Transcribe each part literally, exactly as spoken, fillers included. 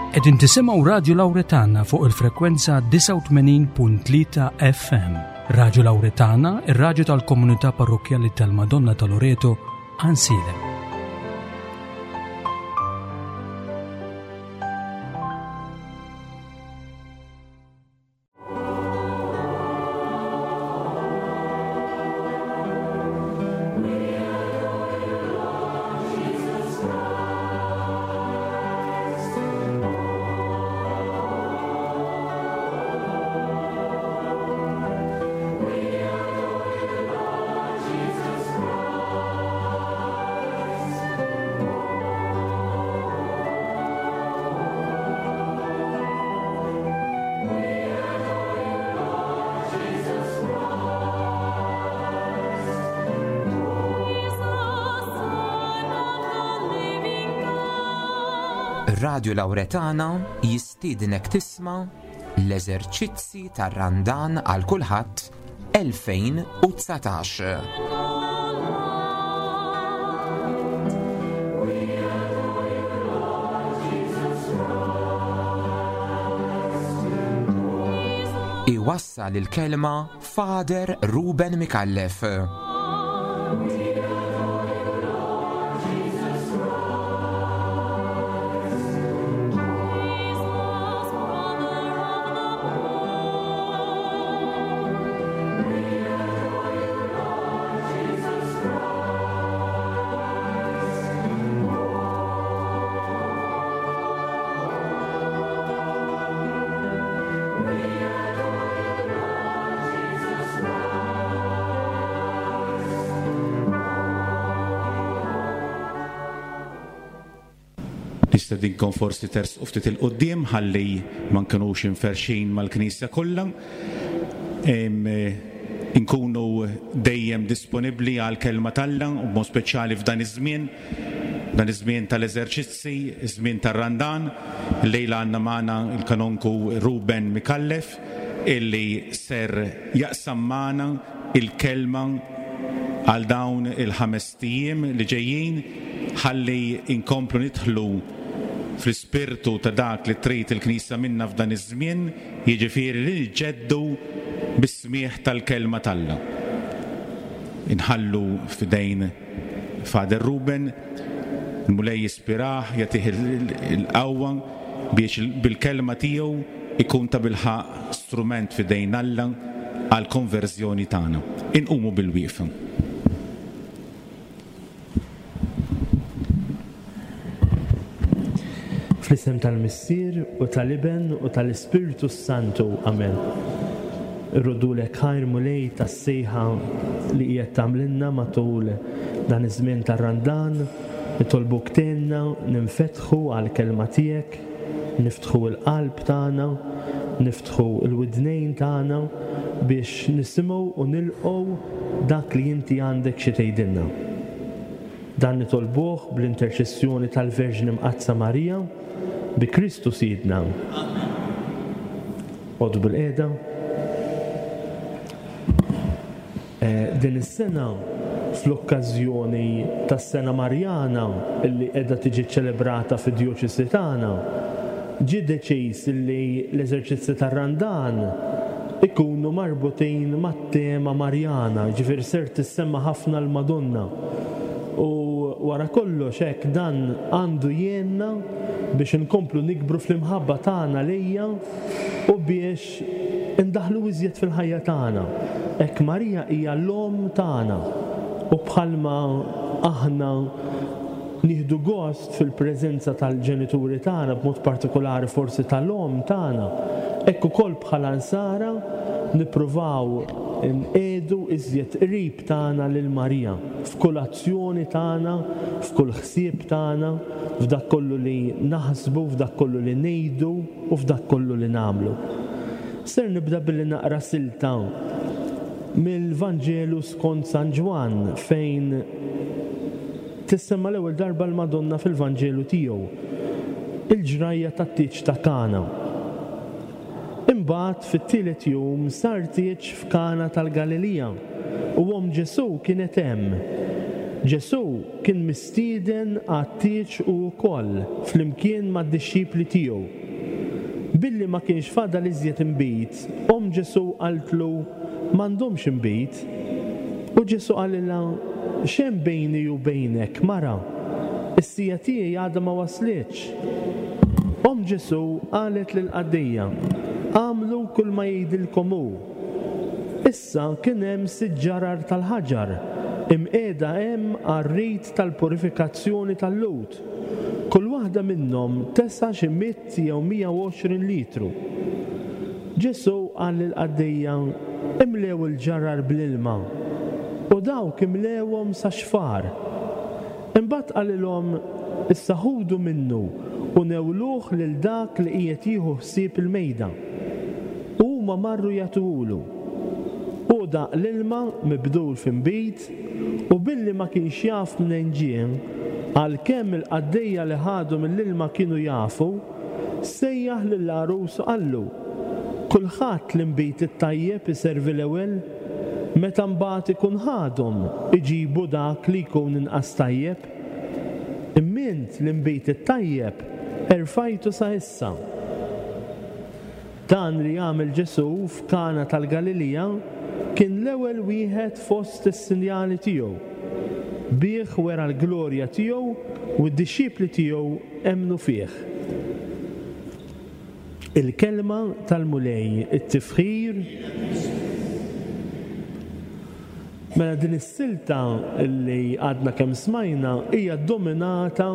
Qegħdin tisimgħu Radio Lauretana fuq il-frekwenza disgħa u tmenin punt tlieta F M. Radio Lauretana, ir-radju tal-komunità parrokkjali tal-Madonna ta' Loreto, Għajnsielem. Radio Lauretana jistiednek tisma' l-eżerċizzi tar-Randan għal kulħadd elfejn u dsatax. Iwassal il-kelma Father Ruben Micallef. Nistedinkom forsi tersqu ftit 'il quddiem ħalli ma nkunux imferxin mal-Knisja kollha. Inkunu dejjem disponibbli għal kelma t'Alla u b'mod speċjali f'dan iż-żmien, dan iż-żmien tal-eżerċizzi, iż-żmien tar-Randan. Lejla għandna magħna il-Kanonku Ruben Micallef illi ser jaqsam magħna il-kelma għal dawn il-ħames ijiem li ġejjin ħalli inkomplu nidħlu fl-ispirtu ta' dak li trid il-Knisja minna f'dan iż-żmien, jiġifieri li niġġeddu bis-smieħ tal-kelma t'Alla. Inħallu f'idejn Father Ruben, il-Mulej jispirah, jagħtih il-qawwa biex bil-kelma tiegħu ikun ta' bilħaqq strument f'idejn Alla għal konverżjoni tagħna. Inqumu bil-wieqfa. Fl-isem tal-Missier u tal-Iben u tal-Ispirtu Santu. Amen. Irroddulek ħajr, Mulej, tas-sejħa li qiegħed tagħmlilna matul dan iż-żmien tar-Randan, nitolbuk tgħinna ninfetħu għall-kelma tiegħek, niftħu l-qalb tagħna, niftħu l-widnejn tagħna biex nisimgħu u nilqgħu dak li inti għandek xi tgħidilna. Dan nitolbuh bl-interċessjoni tal-Verġni Mqaddsa Marija, bi Kristu Sidna. Oqogħdu bilqiegħda. Eh, din is-sena, fl-okkażjoni tas-Sena Marjana illi qiegħda tiġi ċelebrata fid-djoċesi tagħna, ġie deċiż illi l-eżerċizzi tar-Randan ikunu marbutin mat-tema Marjana, ġifieri ser tissemma ħafna l-Madonna. U wara kollox hekk dan għandu jgħinna biex inkomplu nikbru fl-imħabba tagħna lejha u biex indaħlu iżjed fil-ħajja tagħna. Hekk Marija hija l-omm tagħna u bħalma aħna nieħdu gost fil-preżenza tal-ġenituri tagħna, b'mod partikolari forsi tal-omm tagħna, hekk ukoll bħala nsara nippruvaw nqiegħdu iżjed qrib tagħna lil Marija f'kull azzjoni tagħna, f'kull ħsieb tagħna, f'dak kollu li naħsbu, f'dak kollu li ngħidu u f'dak kollu li nagħmlu. Ser nibda billi naqra silta mill-Vanġelu skont San Ġwann fejn tissemma l-ewwel darba l-Madonna fil-Vanġelu tiegħu, il-ġrajja tat-tieġ ta' Kana. Imbagħad fit-tielet jum sar tieġ f'Kana tal-Galilija u omm Ġesù kienet hemm. Ġesù kien mistieden għat-tieġ hu wkoll flimkien mad-dixxipli tiegħu. Billi ma kienx fadal iżjed inbid, omm Ġesù qaltlu, "M'għandhomx inbid." U Ġesù qalilha, "X'hemm bejni u bejnek, mara? Is-siegħa tiegħi għadha ma waslitx." Omm Ġesù qalet lill-qaddejja, "Agħmlu kull ma jgħidilkom hu." Issa kien hemm sitt ġarar tal-ħaġar imqiegħda hemm għar-rit tal-purifikazzjoni tal-Lhud. Kull waħda minnhom tesa' xi mitt jew mija u għoxrin litru. Ġesù qal lill-qaddejja, "Imlew il-ġarar bl-ilma." U dawk imlewhom sa xfar. Imbagħad qalilhom, "Issa ħudu minnu u newluh lil dak li qiegħed jieħu ħsieb il-mejda." U huma marru jagħtuhulu. U daq l-ilma mibdul f'inbid, u billi ma kienx jaf mnejn ġie, għalkemm il-qaddejja li ħadu mill-ilma kienu jafu, sejjaħ lill-għarus u qallu, "Kulħadd l-inbid it-tajjeb iservi l-ewwel, meta mbagħad ikun ħadhom iġibu dak li jkun inqas tajjeb. Imma int l-inbid it-tajjeb erfajtu sa issa." Dan li għamel Ġesù f'Kana tal-Galilija kien l-ewwel wieħed fost is-sinjali tiegħu. Bih wera l-glorja tiegħu u d-dixxipli tiegħu emmnu fih. Il-kelma tal-Mulej, it-tifħir. Mela din is-silta li għadna kemm smajna hija dominata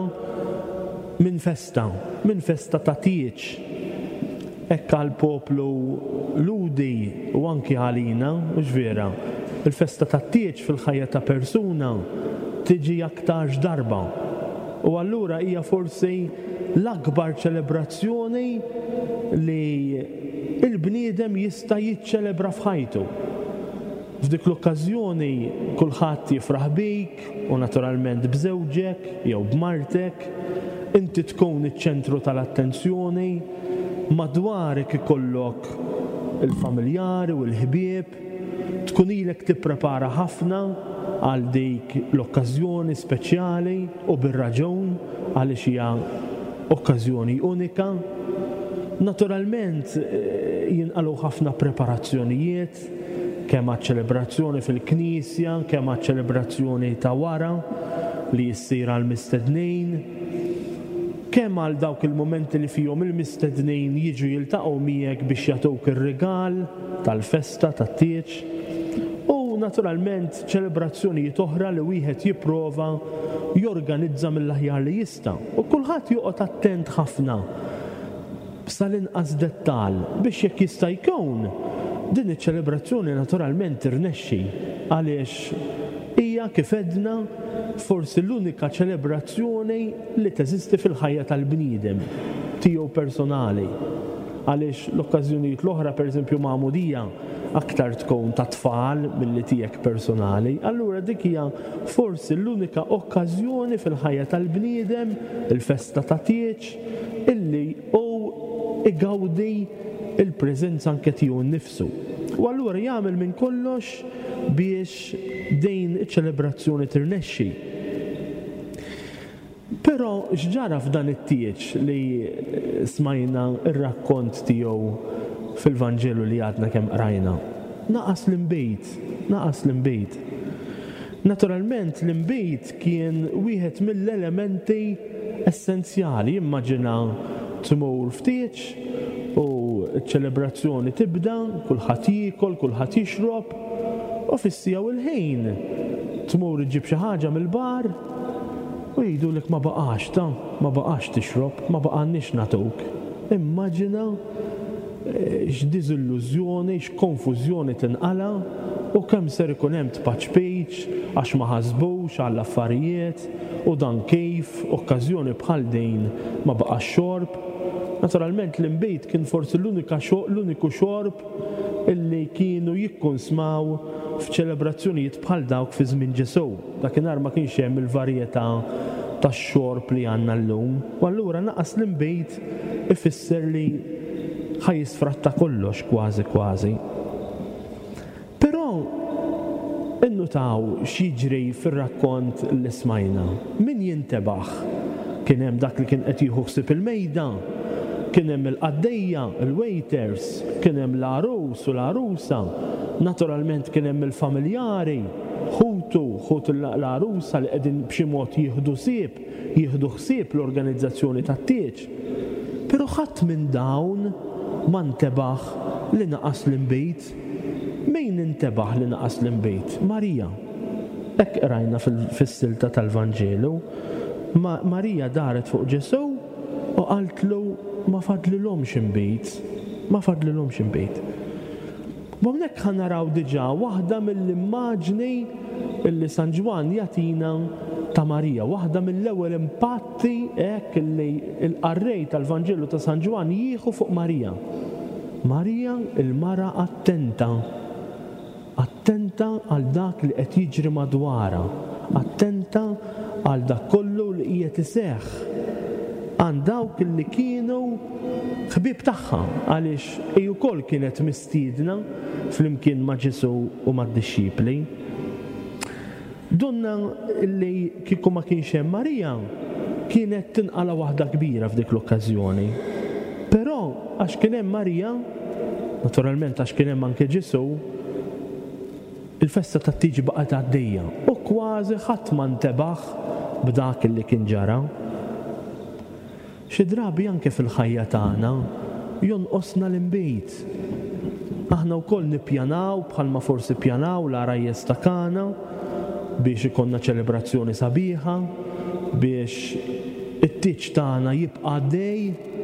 minn festa, minn festa ta' tieġ. Hekk għall-poplu Lhudi u anki għalina, mhux vera, il-festa tat-tieġ fil-ħajja ta' persuna tiġi aktarx darba. U allura hija forsi l-akbar ċelebrazzjoni li il-bniedem jista' jiċċelebra f'ħajtu. F'dik l-okkażjoni kulħadd jifraħ bik u naturalment b'żewġek jew b'martek, inti tkun iċ-ċentru tal-attenzjoni, madwarek ikollok il-familjari u l-ħbieb, tkun ilek tipprepara ħafna għal dik l-okkażjoni speċjali u bir-raġun għaliex hija okkażjoni unika. Naturalment jinqalgħu ħafna preparazzjonijiet, kemm għaċ-ċelebrazzjoni fil-knisja, kemm għaċ-ċelebrazzjoni ta' wara li jissir għall-mistednin, kemm għal dawk il-momenti li fihom il-mistednin jiġu jiltaqgħu miegħek biex jagħtuk ir-rigal tal-festa tat-tieġ, u naturalment ċelebrazzjonijiet oħra li wieħed jipprova jorganizza mill-aħjar li jista'. U kulħadd joqgħod attent ħafna sal-inqas dettal biex jekk jista' jkun din iċ-ċelebrazzjoni naturalment tirnexxi, għaliex hija kif għedna forsi l-unika ċelebrazzjoni li teżisti fil-ħajja tal-bniedem tiegħu personali. Għaliex l-okkażjonijiet l-oħra, pereżempju magħmudija, aktar tkun ta' tfal milli tiegħek personali. Allura dik hija forsi l-unika okkażjoni fil-ħajja tal-bniedem, il-festa ta' tieġ, illi hu igawdi il-preżenza anke tiegħu nnifsu. U allura jagħmel minn kollox biex din iċ-ċelebrazzjoni tirnexxi. Però x'ġara f'dan it-tieġ li smajna r-rakkont tiegħu fil-Vanġelu li għadna kemm qrajna? Naqas l-inbid, naqas l-inbid. Naturalment l-inbid kien wieħed mill-elementi essenzjali. Immaġina tmur f'tieġ u ċ-ċelebrazzjoni tibda, kulħadd jiekol, kulħadd jixrob, u fis-siegħa u l-ħin tmur iġġib xi ħaġa mill-bar u jgħidulek ma baqax ta, ma baqax tixrob, ma baqgħanniex nagħtuk. Immaġina x'diżillużjoni, x'konfużjoni tinqala' u kemm ser ikun hemm tpaċpiċ għax ma ħasbux għall-affarijiet u dan kif okkażjoni bħal din ma baqax xorb. Naturalment l-inbid kien forsi l-unika xo-, l-uniku xorb illi kienu jikkonsmaw f'ċelebrazzjonijiet bħal dawk fi żmien Ġesù. Dakinhar ma kienx hemm il-varjetà tax-xorb li għandna llum. U allura naqas l-inbid ifisser li ħa jisfratta kollox kważi kważi. Però Ninnutaw x'jiġri fir-rakkont li smajna. Min jintebaħ? Kien hemm dak li kien qed jieħu ħsieb il-mejda, kien hemm il-qaddejja, il-waiters, kien hemm l-għarus u l-għarusa, naturalment kien hemm il-familjari, ħutu, ħut l-għarusa li qegħdin b'xi mod jieħdu ħsieb, jieħdu ħsieb l-organizzazzjoni tat-tieġ. Però ħadd minn dawn ma ntebaħ li naqas l-inbid. Min intebaħ li naqas l-inbid? Marija. Hekk qrajna fis-silta tal-Vanġelu. Ma Marija daret fuq Ġesù u qaltlu ma fadlilhomx inbid, ma fadlilhomx inbid. U hawnhekk ħa naraw diġà waħda mill-immaġni illi San Ġwann jagħtina ta' Marija, waħda mill-ewwel impatti hekk illi l-qarrej tal-Vanġelu ta' San Ġwann jieħu fuq Marija. Marija il-mara attenta, attenta għal dak li qed jiġri madwarha, attenta għal dak kollu li qiegħed iseħħ għand dawk li kienu ħbieb tagħha, għaliex hi wkoll kienet mistiedna flimkien ma' Ġesù u mad-dixxipli. Donna li kieku ma kienx hemm Marija kienet tinqala waħda kbira f'dik l-okkażjoni. Però għax kien hemm Marija, naturalment għax kien hemm anke Ġesù, il-festa tat-tieġ baqgħet għaddejja u kważi ħadd ma ntebaħ b'dak li kien ġara. Xi drabi anke fil-ħajja tagħna jonqosna l-inbid. Aħna wkoll nippjanaw bħalma forsi ppjanaw l-għarajjes ta' Kana biex ikollna ċelebrazzjoni sabiħa, biex it-tieġ tagħna jibqa' għaddej,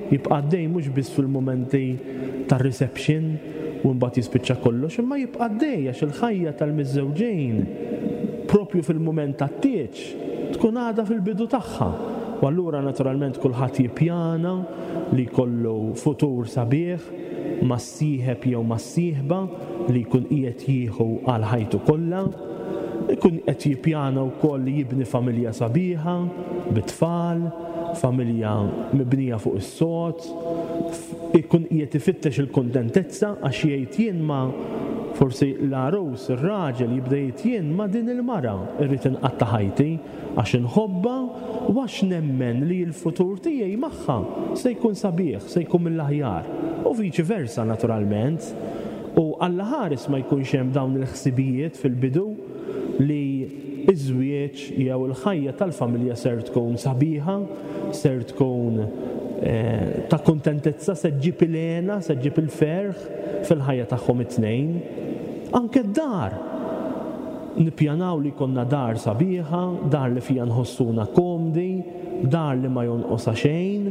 jibqa' għaddej mhux biss fil-mumenti tar-reception u mbagħad jispiċċa kollox, imma jibqa' għaddej għax il-ħajja tal-miżżewġin propju fil-mument tat-tieġ tkun għadha fil-bidu tagħha. U allura naturalment kulħadd jippjana li jkollu futur sabiħ mas-sieħeb jew mas-sieħba li jkun qiegħed jieħu għal ħajtu kollha, ikun qed jippjana wkoll li jibni familja sabiħa bit-tfal, familja mibnija fuq is-sod, ikun qiegħed ifittex il-kuntentezza għax jgħid jien ma forsi l-għarus, ir-raġel jibda jgħid jien ma din il-mara rrid inqatta' ħajti għax inħobbha u għax nemmen li l-futur tiegħi magħha se jkun sabiħ, se jkun mill-aħjar. U viċi versa naturalment. U Alla ħares ma jkunx hemm dawn il-ħsibijiet fil-bidu li iż-żwieġ jew il-ħajja tal-familja ser tkun sabiħa, ser tkun eh, ta' kuntentezza, se ġġib il-hena, se ġġib il-ferħ fil-ħajja tagħhom it-tnejn. Anke d-dar. Nippjanaw li jkollna dar sabiħa, dar li fija nħossuna komdi, dar li ma jonqosha xejn.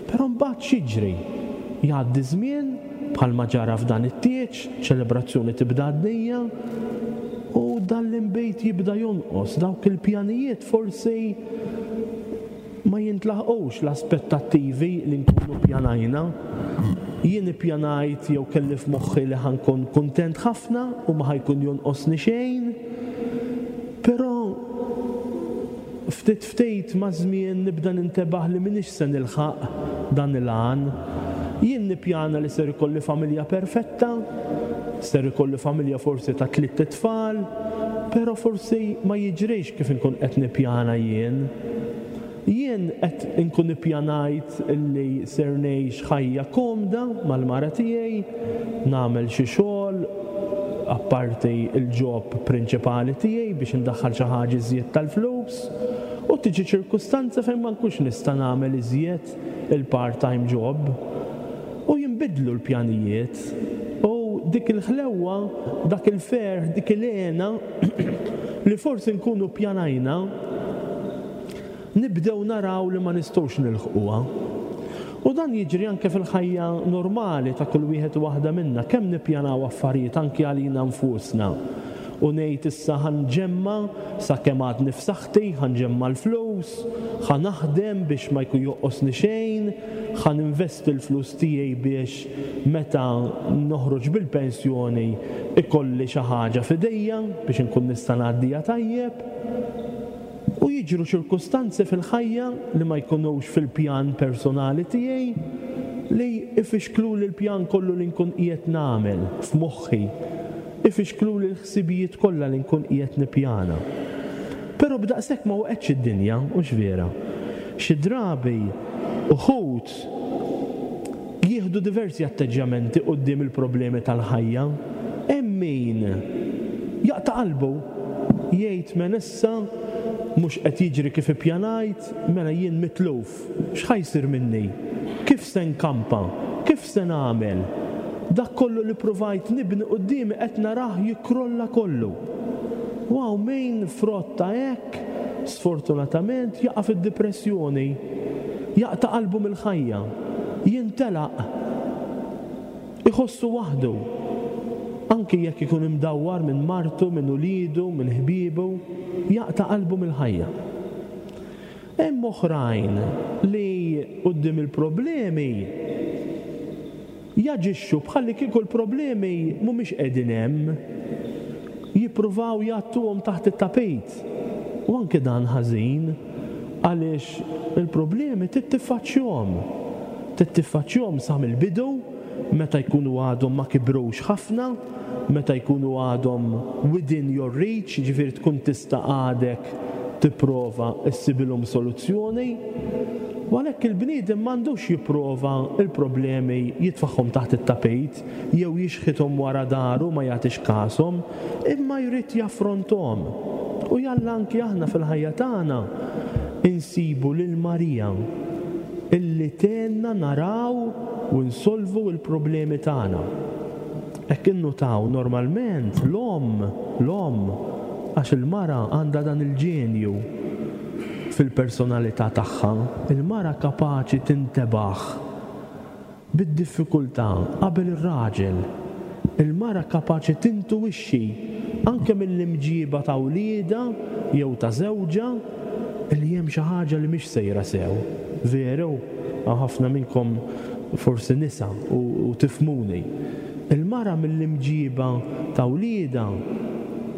Però mbagħad x'jiġri? Jgħaddi żmien bħalma ġara f'dan it-tieġ, ċelebrazzjoni tibda għaddejja, u dan l-inbejt jibda jonqos, dawk il-pjanijiet forsi ma jintlaħqux l-aspettattivi li nkunu pjanajna. Jien ippjanajt jew kelli f'moħħi li ħankun kuntent ħafna u ma ħajkun jonqosni xejn, però ftit ftit ma' żmien nibda nintebaħ li m'iniex se nilħaq dan il-għan. Jien nippjana li ser ikolli familja perfetta, ser ikolli familja forsi ta' tliet itfal, però forsi ma jiġrix kif inkun qed nippjana jien. Jien qed inkun ippjanajt li ser ngħix ħajja komda mal-mara tiegħi, nagħmel xi xogħol apparti il-job prinċipali tiegħi biex indaħħal xi ħaġa iżjed tal-flus, u tiġi ċirkustanza fejn ma nkunx nista' nagħmel iżjed il-part-time job. U jinbidlu l-pjanijiet u dik il-ħlewwa, dak il-ferħ, dik il-hena li forsi nkunu pjanajna, nibdew naraw li ma nistgħux nilħquha. U dan jiġri anke fil-ħajja normali ta' kull wieħed u waħda minna, kemm nippjanaw affarijiet anke għalina nfusna. U ngħid issa ħanġemma sakemm għadni f'saħħti, ħanġemma l-flus, ħanaħdem biex ma jkun joqosni xejn, ħaninvesti l-flus tiegħi biex meta noħroġ bil-pensjoni ikolli xi ħaġa f'idejja biex inkun nista' ngħaddija tajjeb. U jiġru ċirkustanzi fil-ħajja li ma jkunux fil-pjan personali tiegħi li ifixklu li l-pjan kollu li nkun qiegħed nagħmel f'moħħi. Ifixkluli l-ħsibijiet kollha li nkun qiegħed nippjana. Però b'daqshekk ma waqgħetx id-dinja, hux vera. Xi drabi uħud jieħdu diversi atteġġjamenti quddiem il-problemi tal-ħajja. Hemm min jaqta' qalbu, jgħid men issa mhux qed jiġri kif ippjanajt, mela jien mitluf. X'ħa jsir minni? Kif se nkampa? Kif se nagħmel? Dak kollu li provajt nibni quddiemi qed narah jikkrolla kollu. U hawn min frott ta' hekk, sfortunatament, jaqa' fid-dipressjoni, jaqta' qalbu mill-ħajja, jintelaq, iħossu waħdu, anki jekk ikun imdawwar minn martu, minn uliedu, minn ħbiebu, jaqta' qalbu mill-ħajja. Hemm oħrajn li quddiem il-problemi jaġixxu bħalli kieku l-problemi mhumiex qegħdin hemm, jippruvaw jgħattuhom taħt it-tapit. U anke dan ħażin, għaliex il-problemi trid tiffaċċjahom. Trid tiffaċċjahom sa mill-bidu, meta jkunu għadhom ma kibrux ħafna, meta jkunu għadhom within your reach, ġifieri tkun tista' għadek tipprova issibilhom soluzzjoni. U għalhekk il-bniedem m'għandux jipprova il-problemi jitfaħħom taħt it-tapit jew jixħithom wara daru ma jagħtix kashom, imma jrid jaffronthom. U jalla anki aħna fil-ħajja tagħna insibu lil Marija illi tgħinna naraw u nsolvu l-problemi tagħna. Hekk innutaw normalment l-omm, l-omm, għax il-mara għandha dan il-ġenju fil-personalità tagħha, il-mara kapaċi tintebaħ bid-diffikultà qabel ir-raġel. Il-mara kapaċi tintuwixxi anke mill-imġiba ta' wliedha jew ta' żewġha li hemm xi ħaġa li mhix sejra sew. Veru, hawn ħafna minnkom forsi nisa u, u tifhmuni. Il-mara mill-imġiba ta' wliedha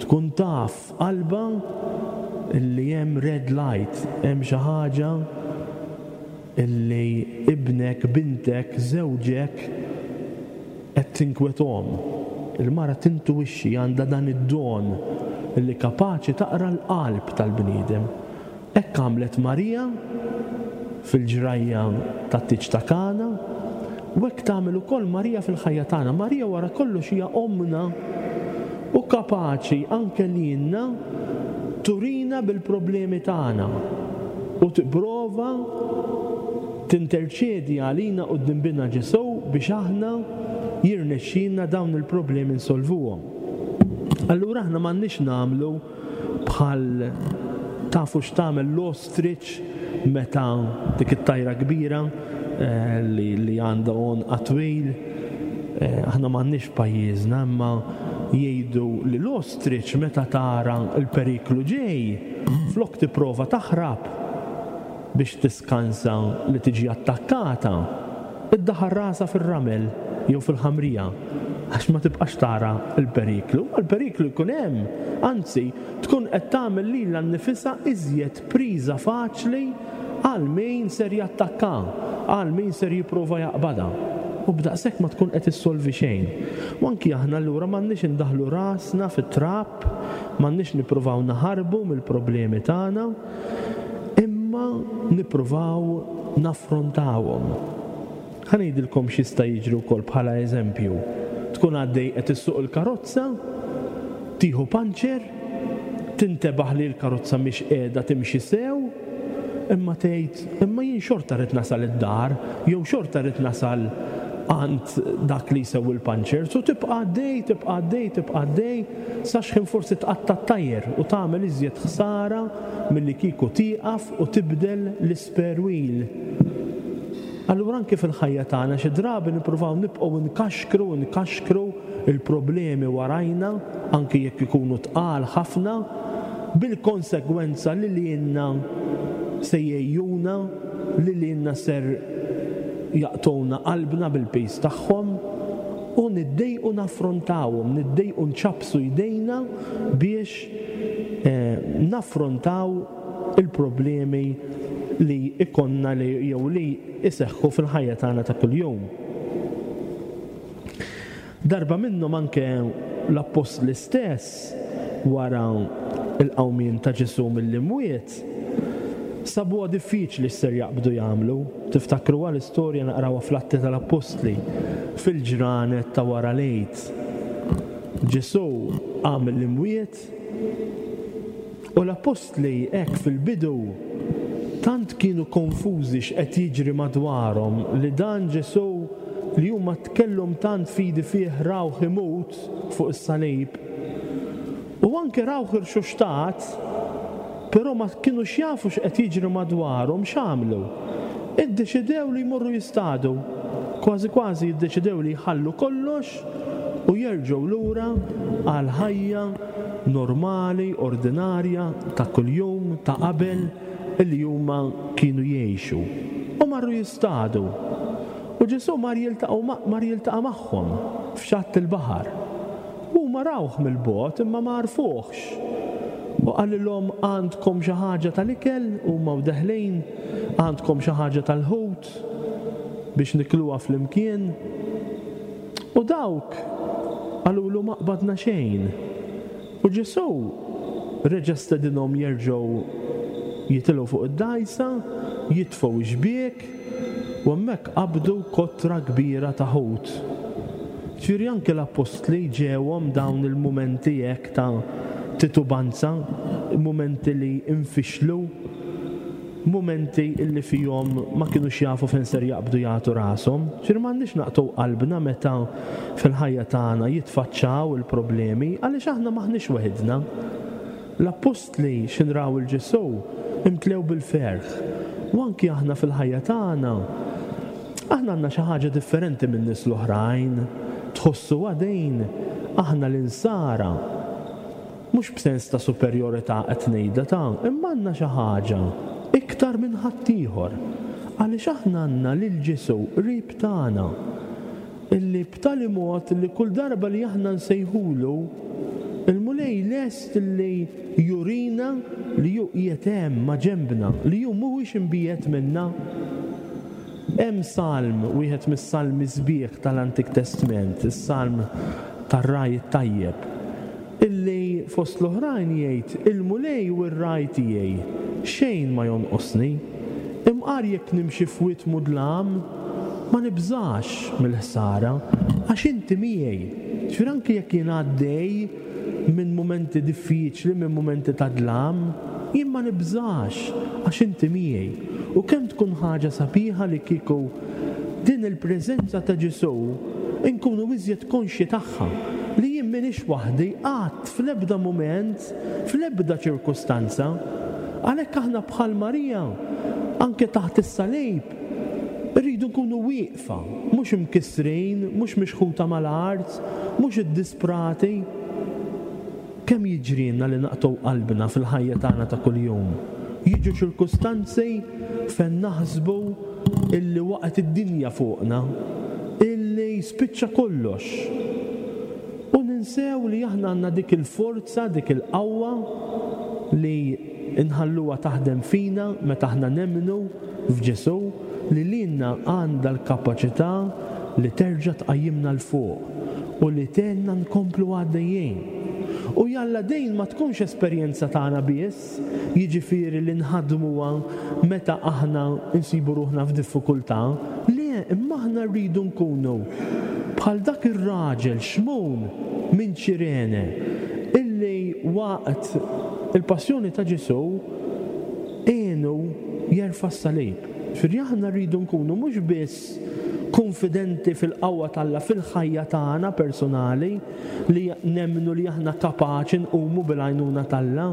tkun taf qalbha illi hemm red light, hemm xi ħaġa illi ibnek, bintek, żewġek qed tinkwetahom. Il-mara tintuwixxi, għandha dan id-don illi kapaċi taqra l-qalb tal-bniedem. Hekk għamlet Marija fil-ġrajja tat-tieġ ta' Kana, u hekk tagħmel ukoll Marija fil-ħajja tagħna. Marija wara kollox hija ommna u kapaċi anke lilna turina bil-problemi tagħna u tipprova tinterċedi għalina quddiem binha Ġesù biex aħna jirnexxina dawn il-problemi nsolvuhom. Allura aħna m'għandniex nagħmlu bħal tafu x'tagħmel l-ostrich meta dik it-tajra kbira, eh, li, li għandha għonq twil. Eh, aħna m'għandniex pajjiżna, imma jgħidu li l-ostrich meta tara l-periklu ġej, flok tipprova taħrab biex tiskansa li tiġi attakkata, iddaħħal rasha fir-ramel jew fil-ħamrija għax ma tibqax tara l-periklu. Il-periklu jkun hemm, anzi tkun qed tagħmel lilha nnifisha iżjed priża faċli għal min ser jattakka, għal min ser jipprova jaqbadha. U b'daqshekk ma tkun qed issolvi xejn. U anki aħna allura m'għandniex indaħlu rasna fit-trab, m'għandniex nippruvaw naħarbu mill-problemi tagħna, imma nippruvaw naffrontawhom. Ħa ngħidilkom x'jista' jiġri wkoll bħala eżempju. Tkun għaddej qed issuq il-karozza, tieħu panċer, tintebaħ li l-karozza mhix qiegħda timxi sew, imma tgħid imma jien xorta rrid nasal id-dar, jew xorta rrid nasal għand dak li jsewwi l-panċer, u tibqa' għaddej, tibqa' għaddej, tibqa' għaddej, sa x'ħin forsi tqatta' t-tajer u tagħmel iżjed ħsara milli kieku tieqaf u tibdel l-spare wheel. Allura anke fil-ħajja tagħna xi drabi nippruvaw nibqgħu nkaxkru, nkaxkru il-problemi warajna, anke jekk ikunu tqal ħafna, bil-konsegwenza li lilna se jgħejjuna, li lilna ser jaqtgħulna qalbna bil-piż tagħhom, u niddejqu naffrontawhom, niddejqu nċappsu jdejna biex, eh, naffrontaw il-problemi li ikonna li jew li iseħħu fil-ħajja tagħna ta' kuljum. Darba minnhom anke l-appostli stess wara il-qawmien ta' Ġesù mill-imwiet sabuha diffiċli x'ser jaqbdu jagħmlu. Tiftakruha l-istorja naqrawha fl-Atti tal-Appostli fil-ġranet ta' wara l-Għid. Ġesù qam mill-imwiet u l-appostli hekk fil-bidu tant kienu konfużi x'qed jiġri madwarhom li dan Ġesù li huma tkellhom tant fidi fih rawh imut fuq is-salib u anke rawh irxuxtat, però ma kinux jafu x'qed jiġri madwarhom, x'għamlu? Iddeċidew li jmorru jistadu. Kważi kważi jiddeċidew li jħallu kollox u jerġgħu lura għal ħajja normali, ordinarja, ta' kuljum, ta' qabel illi huma kienu jgħixu. U marru jistadu. U Ġesù mar jiltaqgħu ma-, mar jiltaqa' magħhom f'xatt il-baħar. Huma rawh mill-bogħod imma ma għarfuhx. U qalilhom għandkom xi ħaġa tal-ikel, huma u deħlin, għandkom xi ħaġa tal-ħut biex nikluha flimkien. U dawk qalulu ma qbadna xejn. U Ġesù reġa' stedinhom jerġgħu jitilgħu fuq id-dgħajsa, jitfgħu x-xbiek, u hemmhekk qabdu kotra kbira ta' ħut. Ġifieri anke l-appostli ġewhom dawn il-mumenti hekk ta' titubanza, mumenti li infixlu, mumenti illi fihom ma kinux jafu fejn ser jaqbdu jagħtu rashom. Ġifieri m'għandniex naqtgħu qalbna meta fil-ħajja tagħna jitfaċċaw il-problemi, għaliex aħna m'aħniex weħidna. L-appostli x'inraw il-Ġesù imtlew bil-ferħ. U anki aħna fil-ħajja tagħna, aħna għandna xi ħaġa differenti minn nies l-oħrajn. Tħossu għadejn aħna l-insara, mhux b'sens ta' superjorità qed ngħidha ta', imma għandna xi ħaġa iktar minn ħaddieħor. Għaliex aħna għandna lil Ġesù qrib tagħna, illi b'tali mod li kull darba li aħna nsejħulu, il-Mulej lest li jurina li hu qiegħed hemm ma' ġenbna, li hu mhuwiex imbiegħed minna. Hemm salm, wieħed mis-salmi sbieħ tal-Antik Testament, is-salm tar-ragħaj it-tajjeb, illi fost l-oħrajn jgħid il-Mulej u r-ragħaj tiegħi, xejn ma jonqosni. Imqar jekk nimxi f'wied mudlam, ma nibżax mill-ħsara, għax inti miegħi. Ġifieri anke jekk jien għaddej minn mumenti diffiċli, minn mumenti ta' dlam, jien ma nibżax għax inti miegħi. U kemm tkun ħaġa sabiħa li kieku din il-preżenza ta' Ġesù inkunu iżjed konxji tagħha, li jien m'iniex waħdi qatt fl-ebda mument, fl-ebda ċirkustanza. Għalhekk aħna bħal Marija, anke taħt is-salib, irridu nkunu wieqfa, mhux imkissrin, mhux mixħuta mal-art, mhux iddisprati. Kemm jiġrilna li naqtgħu qalbna fil-ħajja tagħna ta' kuljum? Jiġu ċirkustanzi fejn naħsbu illi waqgħet id-dinja fuqna, illi spiċċa kollox. U ninsew li aħna għandna dik il-forza, dik il-qawwa li nħalluha taħdem fina meta aħna nemmnu f'Ġesù, li lilna għandha l-kapaċità li terġa' tqajjimna 'l fuq u li tgħinna nkomplu għaddejjin. U jalla dejn ma tkunx esperjenza tagħna biss, jiġifieri li nħadmuha meta aħna nsibu ruħna f'diffikultà, le, imma aħna rridu nkunu bħal dak ir-raġel Xmun minn Ċirene illi waqt il-passjoni ta' Ġesù għenu jerfa' s-salib. Ġifieri aħna rridu nkunu mhux biss konfidenti fil-qawwa t'Alla fil-ħajja tagħna personali, li nemmnu li aħna kapaċi nqumu bil-għajnuna t'Alla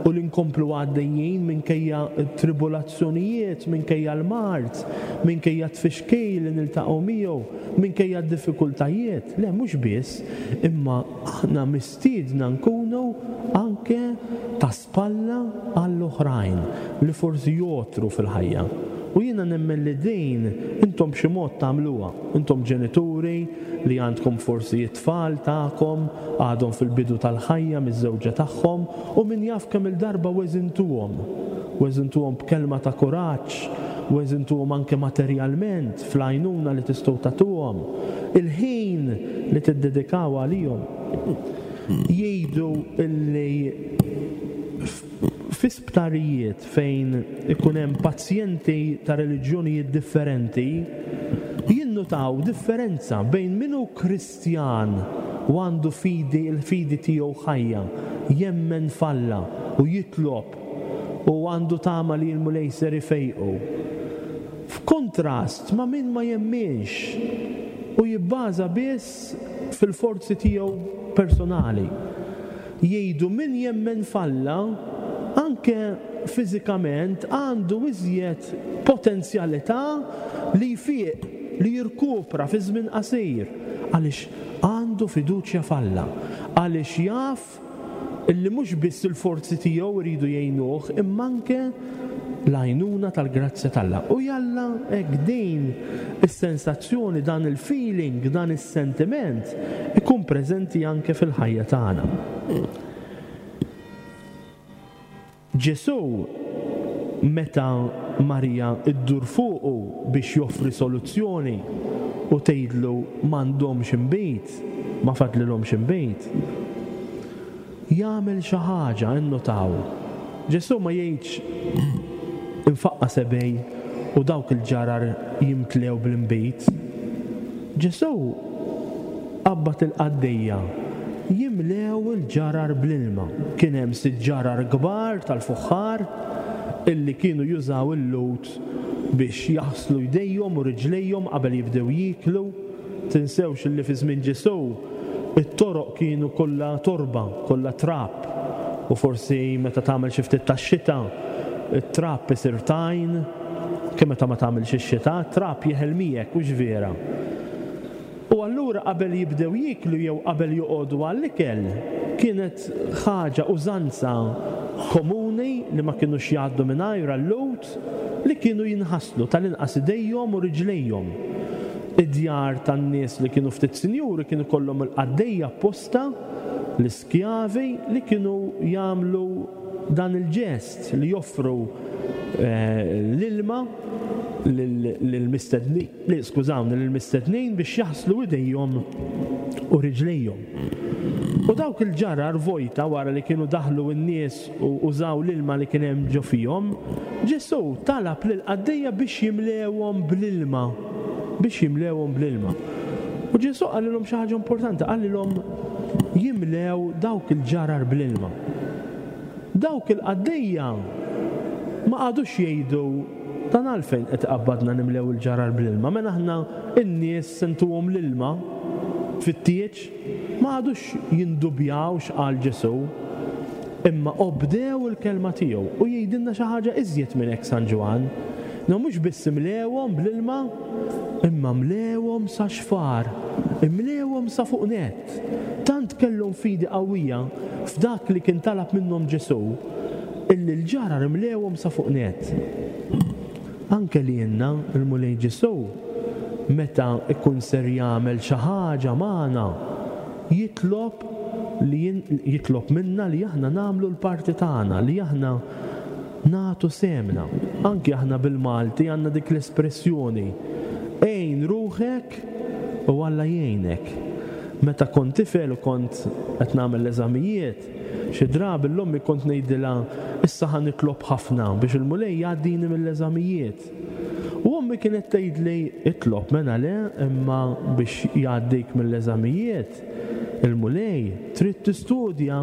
u li nkomplu għaddejjin minkejja tribulazzjonijiet, minkejja l-mard, minkejja tfixkil li niltaqgħu miegħu, minkejja d-diffikultajiet. Le, mhux biss, imma aħna mistiedna nkunu anke ta' spalla għall-oħrajn li forsi jotru fil-ħajja. U jiena nemmen li din intom b'xi mod tagħmluha. Intom ġenituri li għandkom forsi it-tfal tagħkom għadhom fil-bidu tal-ħajja miż-żewġa tagħhom, u min jaf kemm il-darba weżintuhom. Weżintuhom b'kelma ta' kuraġġ, u intuhom anke materjalment fl-għajnuna li tistgħu tagħtuhom, il-ħin li tiddedikaw għalihom. Jgħidu illi fi sptarijiet fejn ikun hemm pazjenti ta' reliġjonijiet differenti jinnutaw differenza bejn min hu Kristjan u għandu fidi, il-fidi tiegħu ħajja, jemmen f'Alla u jitlob u għandu tama li l-Mulej ser ifejqu. F'kontrast ma' min ma jemminx u jibbaża biss fil-forzi tiegħu personali. Jgħidu min jemmen f'Alla anke fiżikament għandu iżjed potenzjalità li jfiq, li jirkupra fi żmien qasir, għaliex għandu fiduċja f'Alla, għaliex jaf illi mhux biss il-forzi tiegħu jridu jgħinuh, imma anke l-għajnuna tal-grazzja t'Alla. U jalla hekk din is-sensazzjoni, dan il-feeling, dan is-sentiment ikun preżenti anke fil-ħajja tagħna. Ġesù meta Marija iddur fuqu biex joffri soluzzjoni u tgħidlu m'għandhomx inbid, ma fadlilhomx inbid, jagħmel xi ħaġa, innotaw. Ġesù ma jgħidx infaqqa sebej u dawk il-ġarar jimtlew bl-inbid. Ġesù qabad il-qaddejja jimlew il-ġarar bl-ilma. Kien hemm sitt ġarar kbar tal-fuħħar illi kienu jużaw il-lut biex jaħslu jdejhom u riġlejhom qabel jibdew jieklu. Tinsewx illi fi żmien Ġesù it-toroq kienu kollha torba, kollha trab, u forsi meta tagħmel xi ftit tax-xita it-trab isir tajn, kemm meta ma tagħmilx ix-xita, trab jeħel miegħek, hux vera. U allura qabel jibdew jieklu jew qabel joqogħdu għall-ikel, kienet ħaġa użanza komuni li ma kinux jgħaddu mingħajr għall-lut li kienu jinħaslu tal-inqas idejhom u riġlejhom. Id-djar tan-nies li kienu ftit sinjuri kienu kollhom il-qaddejja apposta, l-iskjavi li kienu jagħmlu dan il-ġest li joffru l-ilma lill-mistednin, skużawni, lill-mistednin biex jaħslu idejhom u riġlejhom. U dawk il-ġarar vojta wara li kienu daħlu n-nies u użaw l-ilma li kien hemm ġo fihom, Ġesù talab lill-qaddejja biex jimlewhom bl-ilma, biex jimlewhom bl-ilma. U Ġesù qalilhom xi ħaġa importanti, qalilhom jimlew dawk il-ġarar bl-ilma. Dawk il-qaddejja ma qagħdux jgħidu dan għalfejn qed iqabbadna nimlew il-ġarar bl-ilma, mela aħna n-nies sentuhom l-ilma fit-tieġ, ma qagħdux jindubjaw x'qal Ġesù, imma obdew il-kelma tiegħu. U jgħidilna xi ħaġa iżjed minn hekk San Ġwann. No mhux biss imlewhom bl-ilma, imma mlewhom sa xfar, imlewhom sa fuq nett. Tant kellhom fidi qawwija f'dak li kien talab minnhom Ġesù, illi l-ġarar imlewhom sa fuq nett. Anke li jenna il-Mulej Ġesù meta ikun ser jagħmel xi ħaġa magħna, jitlob li jitlob minna li aħna nagħmlu l-parti tagħna, li aħna nagħtu semna. Anke aħna bil-Malti għandna dik l-espressjoni, għin ruħek u Alla jgħinek. Meta kont tifel u kont qed nagħmel l-eżamijiet, xi drabi l-ommi kont ngħidilha issa ħa nitlob ħafna biex il-Mulej jgħaddini mill-eżamijiet. U ommi kienet tgħidli itlob mela le, imma biex jgħaddik mill-eżamijiet il-Mulej trid tistudja,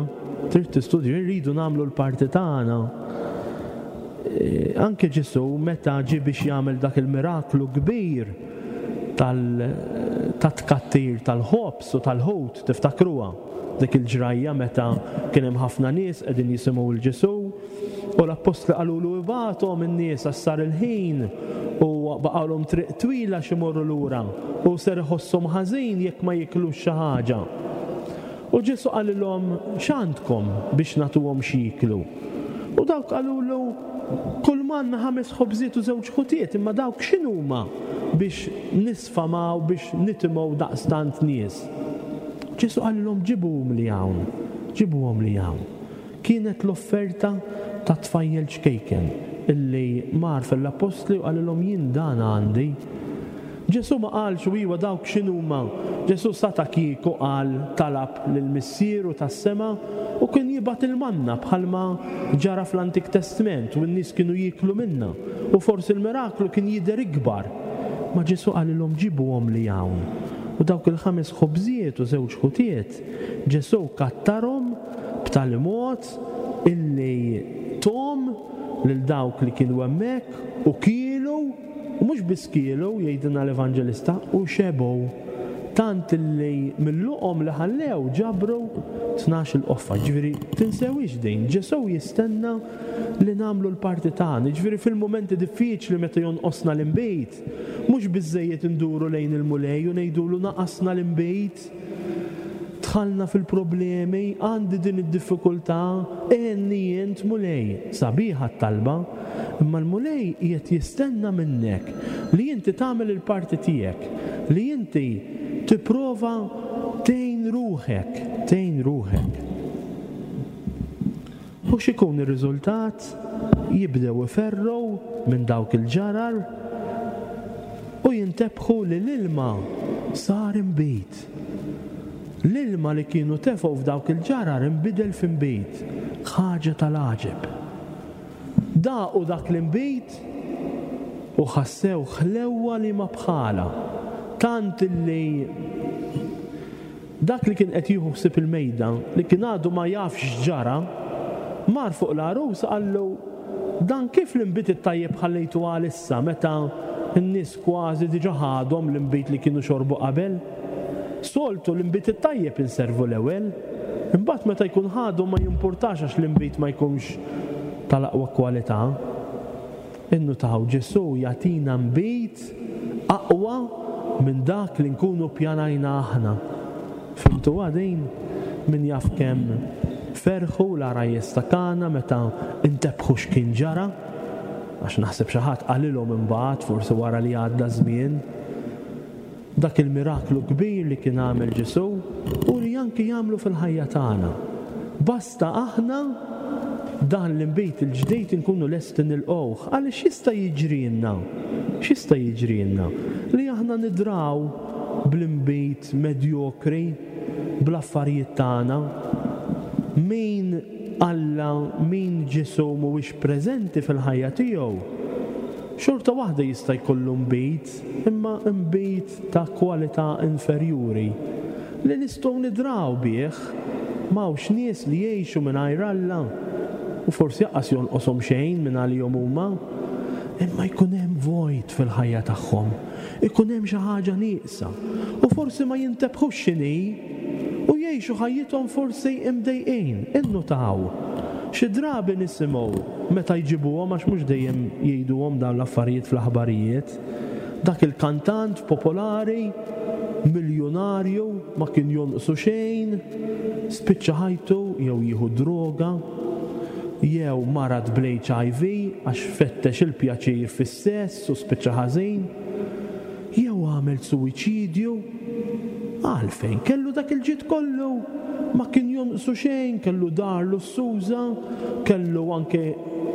trid tistudja, irridu nagħmlu l-parti tagħna. Anke Ġesù meta ġie biex jagħmel dak il-miraklu kbir tat-tkattir tal-ħobż u tal-ħut, tiftakruha dik il-ġrajja meta kien hemm ħafna nies qegħdin jisimgħu l Ġesù u l-appostli qalulu ibgħathom in-nies għax sar il-ħin u baqgħulhom triq twila x'imorru lura u ser iħosshom ħażin jekk ma jiklux xi ħaġa. U Ġesù qalilhom x'għandkom biex nagħtuhom x'jieklu? U dawk qalulu kull m'għandna ħames ħobżiet u żewġ ħutiet, imma dawk x'inhuma biex nisfamaw biex nitimgħu daqstant nies? Ġesù qalilhom ġibuhom li hawn, ġibuhom li hawn. Kienet l-offerta ta' tfajjel ċkejken, illi mar fil-appostli u qalilhom jien dan għandi. Ġesù ma qalx u iwa dawk x'inhuma. Ġesù sata kieku qal talab lil Missieru tas-sema u kien jibgħat il-manna bħalma ġara fl-Antik Testament u n-nies kienu jieklu minna u forsi l-miraklu kien jidher ikbar. Ma Ġesù qalilhom ġibuhom li hawn. U dawk il-ħames ħobżiet u żewġ ħutiet, Ġesù kattarhom b'tali mod illi tom lil dawk li kienu hemmhekk u kielu, u mhux biss kielu, jgħidilna l-Evanġelista, u xebgħu. Tant illi mill-luqom li ħallew ġabru tnax il-qoffa. Ġifieri tinsewix din, Ġesù jistenna li nagħmlu l-parti tagħna. Ġifieri fil-mumenti diffiċli meta jonqosna l-inbejt, mhux biżejjed induru lejn il-Mulej u ngħidulu naqasna l-inbejt, dħalna fil-problemi, għandi din id-diffikultà, għenni int Mulej. Sabiħa t-talba, imma l-Mulej qiegħed jistenna minnek li inti tagħmel il-parti tiegħek, li inti tipprova tgħin ruħek, tgħin ruħek. U x'ikun ir-riżultat? Jibdew iferru minn dawk il-ġarar u jintebħu li l-ilma sar inbid. L-ilma li kienu tefgħu f'dawk il-ġarar inbidel f'inbid, ħaġa tal-għaġeb. Daqu dak l-inbid u ħassew ħlewwa li ma bħala, tant li dak li kien qed jieħu ħsieb il-mejda, li kien għadu ma jafx x'ġara, mar fuq l-għarus qallu dan kif l-inbid it-tajjeb ħallejtu għalissa meta n-nies kważi diġà ħadhom l-inbid li kienu xorbu qabel. Soltu l-inbid it-tajjeb inservu l-ewwel, imbagħad meta jkun ħadu ma jimpurtax għax l-inbid ma jkunx tal-aqwa kwalità. Innutaw Ġesù jagħtina nbid aqwa minn dak li nkunu pjanajna aħna. Fimtu għadin? Min jaf kemm ferħu l-għarajjes ta' Kana meta intebħu x'kien ġara, għax naħseb xi ħadd qalilhom imbagħad forsi wara li għadda żmien dak il-miraklu kbir li kien għamel Ġesù u li anki jagħmlu fil-ħajja tagħna. Basta aħna dan l-inbid il-ġdid inkunu lesti nilqgħuh, għaliex jista' jiġrilna, x'jista' jiġrilna li aħna nidraw bl-inbid medjokri bl-affarijiet tagħna. Min Alla, min Ġesù mhuwiex preżenti fil-ħajja tiegħu, xorta waħda jista' jkollu nbid, imma nbid ta' kwalità inferjuri li nistgħu nidraw bih. M'hawnx nies li jgħixu mingħajr Alla u forsi jaqas jonqoshom xejn minn għalihom huma, imma jkun hemm vojt fil-ħajja tagħhom, ikun hemm xi ħaġa nieqsa u forsi ma jintebħux x'inhi u jgħixu ħajjithom forsi imdejqin. Innutaw xi drabi nisimgħu meta jġibuhom, għax mhux dejjem jgħiduhom dawn l-affarijiet fl-aħbarijiet, dak il-kantant popolari, miljonarju, ma kien jonqsu xejn, spiċċa ħajtu jew jieħu droga jew marad bl-H I V għax fettex il-pjaċir fis-sess u spiċċa ħażin, jew għamel suwiċidju. Għalfejn kellu dak il-ġid kollu, ma kien jonqsu xejn, kellu dar lussuża, kellu anke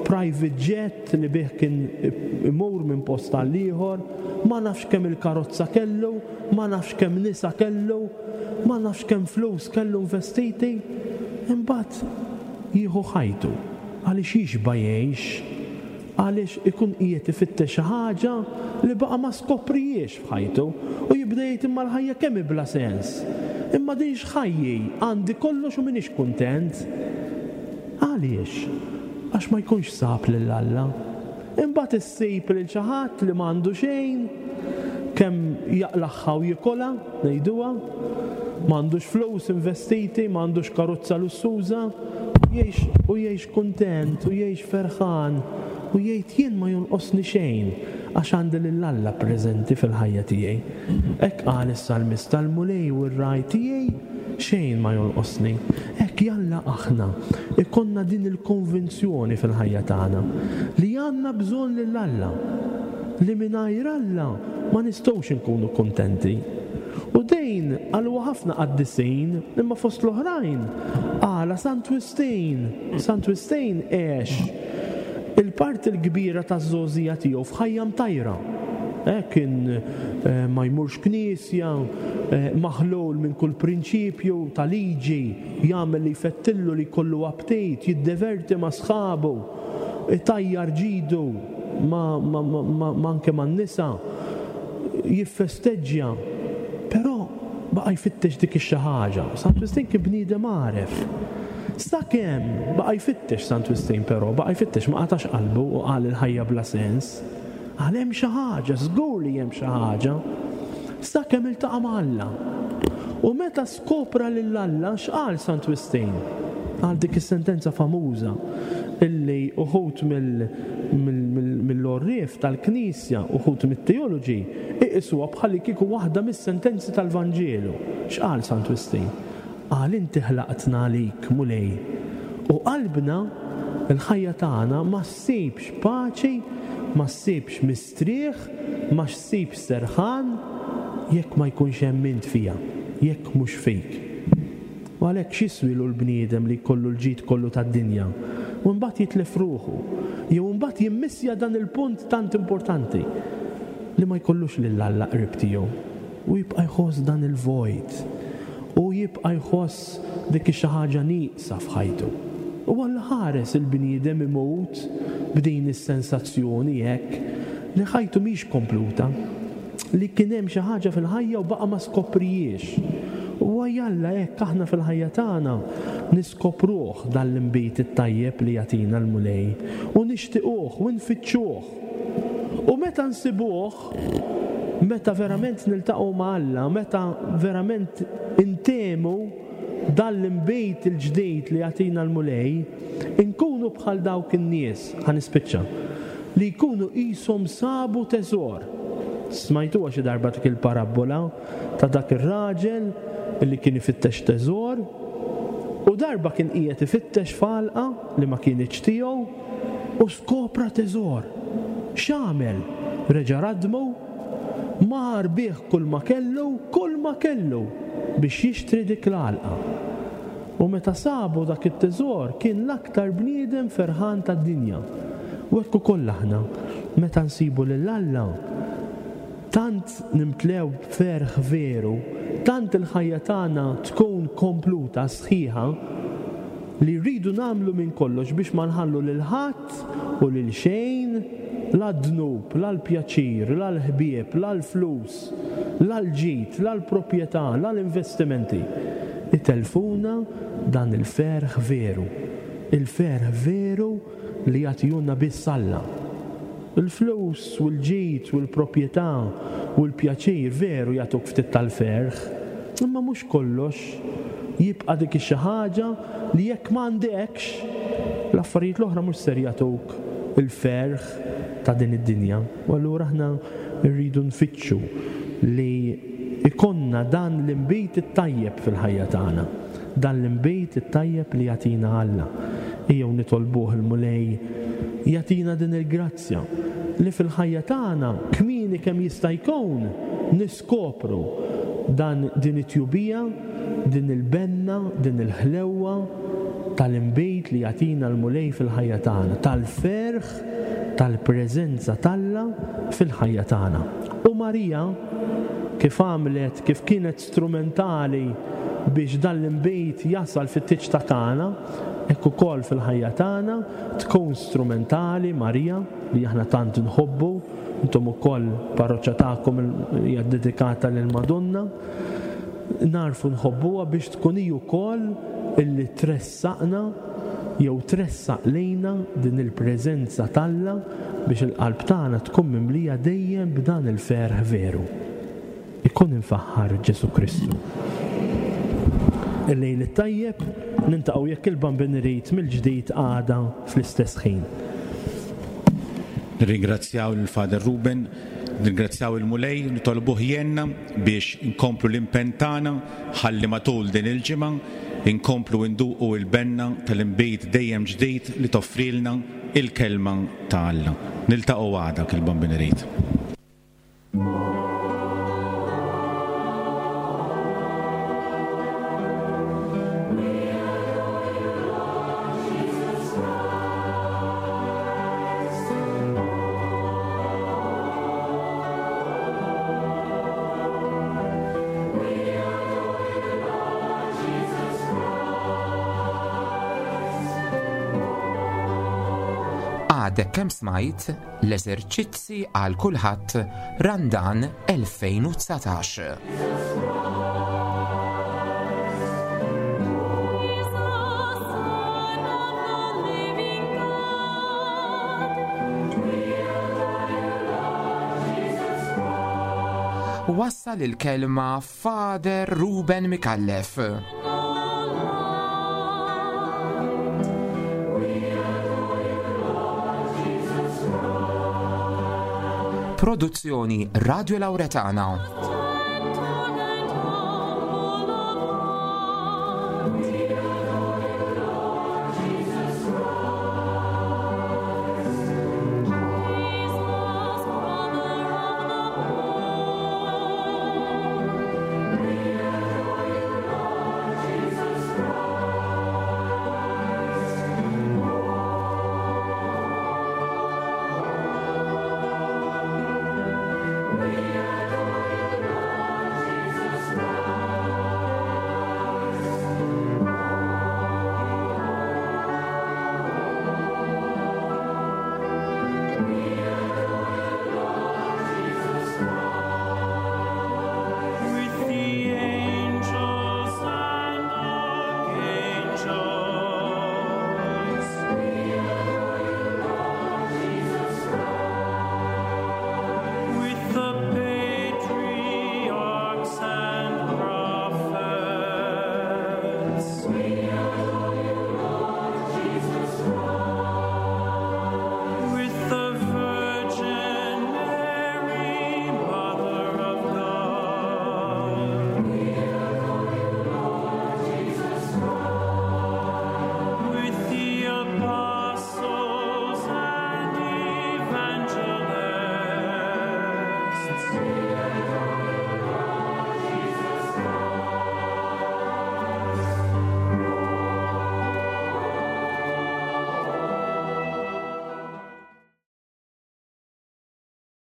private jet li bih kien imur minn post għal ieħor, ma nafx kemm il-karozza kellu, ma nafx kemm nisa kellu, ma nafx kemm flus kellu investiti, imbagħad jieħu ħajtu għaliex jixba' jgħix, għaliex ikun qiegħed ifittex xi ħaġa li baqa' ma skoprijiex f'ħajtu u jibda jgħid imma l-ħajja kemm hi bla sens, imma din x'ħajji, għandi kollox u m'iniex kuntent. Għaliex? Għax ma jkunx sab lil Alla. Imbagħad issib lil xi ħadd li m'għandu xejn, kemm jaqlaħħa u jikolha, ngħiduha, m'għandux flus investiti, m'għandux karozza lussuża, jgħix u jgħix kuntent u jgħix ferħan u jgħid jien ma jonqosni xejn għax għandi lil Alla preżenti fil-ħajja tiegħi. Hekk qal is-salmista, l-Mulej u r-ragħaj tiegħi xejn ma jonqosni. Hekk jalla aħna ikonna din il-konvinzjoni fil-ħajja tagħna li għandna bżonn lil Alla, li mingħajr Alla ma nistgħux inkunu kuntenti. U dejn għalwa ħafna qaddisin, imma fost l-oħrajn għala Sant Wistin. Sant Wistin għex il-parti l-kbira taż-żgħożija tiegħu f'ħajja mtajra. Eh, kien eh, ma jmurx knisja, eh, maħlul minn kull prinċipju ta' liġi, jagħmel li jfettillu li jkollu aptit, jiddeverti ma' sħabu, itajjar ġidu ma, ma, ma, ma, ma anke man-nisa, jiffesteġġja, però baqa' jfittex dik ix-xi ħaġa. Sant Wistin kien bniedem għaref. Sakemm baqa' jfittex Sant Wistin però, baqa' jfittex ma qatax qalbu u qal il-ħajja bla sens. Qal hemm xi ħaġa, żgur li hemm xi ħaġa. Sakemm iltaqa' ma' Alla. U meta skopra lil Alla, x'qal Sant Wistin? Qal dik is-sentenza famuża illi uħud mill-għorrief tal-Knisja, uħud mit-teoloġi, iqisuha bħalli kieku waħda mis-sentenzi tal-Vanġelu. X'qal Sant Wistin? Qal inti ħlaqtna għalik, Mulej, u qalbna, il-ħajja tagħna ma ssibx paċi, ma ssibx mistrieħ, ma ssibx serħan jekk ma jkunx hemm int fija, jekk mhux fik. U għalhekk x'jiswilu l-bniedem li jkollu l-ġid kollu tad-dinja u mbagħad jitlef ruħu, jew mbagħad jimmissja dan il-punt tant importanti li ma jkollux lil Alla qrib tiegħu u jibqa' jħoss dan il-vojt u jibqa' jħoss dik xi ħaġa nieqsa f'ħajtu. U Alla ħares il-bniedem imut b'din is-sensazzjoni hekk li ħajtu mhix kompluta, li kien hemm xi ħaġa fil-ħajja u baqa' ma skoprijiex. U jalla hekk aħna fil-ħajja tagħna niskopruh dan l-inbid it-tajjeb li jagħtina l-Mulej u nixtiequh u nfittxuh. U meta nsibuh, meta verament niltaqgħu ma' Alla, meta verament intemu dan l-inbid il-ġdid li jagħtina l-Mulej, inkunu bħal dawk in-nies, ħa nispiċċa, li jkunu qishom sabu teżor. Smajtuha xi darba dik il-parabbola ta' dak ir-raġel li kien ifittex teżor u darba kien qiegħed ifittex f'għalqa li ma kienx tiegħu u skopra teżor. X'għamel? Reġa' radmu, mar bih kull ma kellu, kull ma kellu biex jixtri dik l-għalqa. U meta sabu dak it-teżor kien l-aktar bniedem ferħan tad-dinja. U hekk ukoll aħna meta nsibu lil Alla tant nimtlew b'ferħ veru, tant il-ħajja tagħna tkun kompluta, sħiħa, li rridu nagħmlu minn kollox biex ma nħallu lil ħadd u lil xejn, la d-dnub, la l-pjaċir, la l-ħbieb, la l-flus, la l-ġid, la l-proprjetà, la l-investimenti. Itelfuna dan il-ferħ veru. Il-ferħ veru li jagħtihulna biss Alla. Il-flus u l-ġid u l-proprjetà u l-pjaċir veru jagħtuk ftit tal-ferħ, imma mhux kollox. Jibqa' dik xi ħaġa li jekk m'għandekx, l-affarijiet l-oħra mhux ser jagħtuk il-ferħ ta' din id-dinja. U allura aħna rridu nfittxu li ikonna dan l-inbid it-tajjeb fil-ħajja tagħna, dan l-inbid it-tajjeb li jagħtina Alla. Ejjew nitolbuh il-Mulej jagħtina din il-grazzja li fil-ħajja tagħna kmieni kemm jista' jkun niskopru dan din it-tjubija, din il-benna, din il-ħlewwa tal-inbid li jagħtina l-Mulej fil-ħajja tagħna, tal-ferħ tal-preżenza t'Alla fil-ħajja tagħna. U Marija kif għamlet, kif kienet strumentali biex dan l-inbid jasal fit-tieġ ta' Kana, hekk ukoll fil-ħajja tagħna tkun strumentali Marija li aħna tant nħobbu, intom ukoll parroċċa tagħkom hija dedikata lil Madonna, narfu nħobbuha biex tkun hi wkoll illi tressaqna jew tressaq lejna din il-preżenza t'Alla biex il-qalb tagħna tkun mimlija dejjem b'dan il-ferħ veru. Ikun infaħħar Ġesu Kristu. Il-lejl it-tajjeb, nintaqgħu jekk il-Bambin irid mill-ġdid għada fl-istess ħin. Nirringrazzjaw lil Father Ruben, nirringrazzjaw il-Mulej, nitolbuh jenna biex inkomplu l-impenn tagħna ħalli matul din il-ġimgħa inkomplu nduqu il-benna tal-inbid dejjem ġdid li toffrilna il-kelma ta' Alla. Niltaqgħu għada kil-Bambin irid. Għadek kemm smajt l-eżerċizzi għal kulħadd Randan elfejn u dsatax. Wassal il-kelma Father Ruben Micallef. Produzzjoni Radio Lauretana.